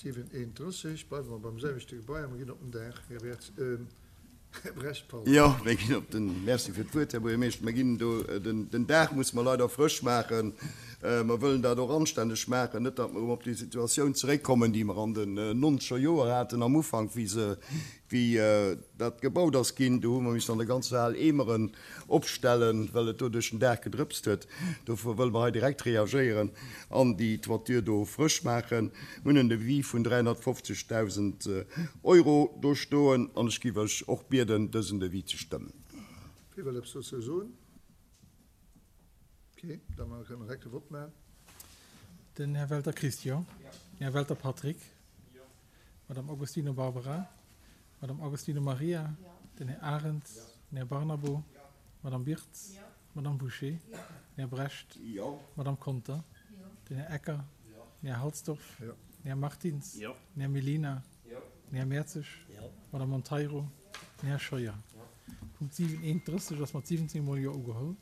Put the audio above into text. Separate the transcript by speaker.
Speaker 1: 7, 31, bleiwe mer beim selwechte Gebai a mer ginn op den Daach, Här Wertz, Här Brecht, pardon.
Speaker 2: Jo, mir ginn op den, Merci fir d'Wuert, Här Buergermeeschter. Mir ginn do, den Daach musse mer leider frësch maachen. Mer wëllen dat och anstänneg maachen, net datt mer erëm op déi Situatioun zeréckkommen, déi mer an den nonzeger Joer haten am Ufank, wéi se, wéi dat gebaut ass ginn. Do hu mer missen an der ganzer Hal Eemeren opstellen, well et do duerch den Daach gedrëpst huet. Dofir wëlle mer hei direkt reagéieren an déi Toiture do frësch maachen. Mir hunn en Devis vun 350.000 Euro do stoen an ech géif Iech och bieden, dësen Devis ze stëmmen.
Speaker 1: Wie wëll eppes dozou soen? Ok, da kënne mer direkt de Vott maachen.
Speaker 3: Den Här Welter Christian. Den Här Welter Patrick. D'Madame Agostino Barbara. D'Madame Agostino Maria. Den Här Arendt. Den Här Barnabo. D'Madame Birtz. D'Madame Bouché. Den Här Brecht. D'Madame Conter. Den Här Ecker. Den Här Halsdorf. Den Här Martins. Den Här Mellina. Den Här Mertzig. D'Madame Monteiro. Den Här Scheuer. Punkt 7, 31 ass mat 17 mol Jo ugeholl.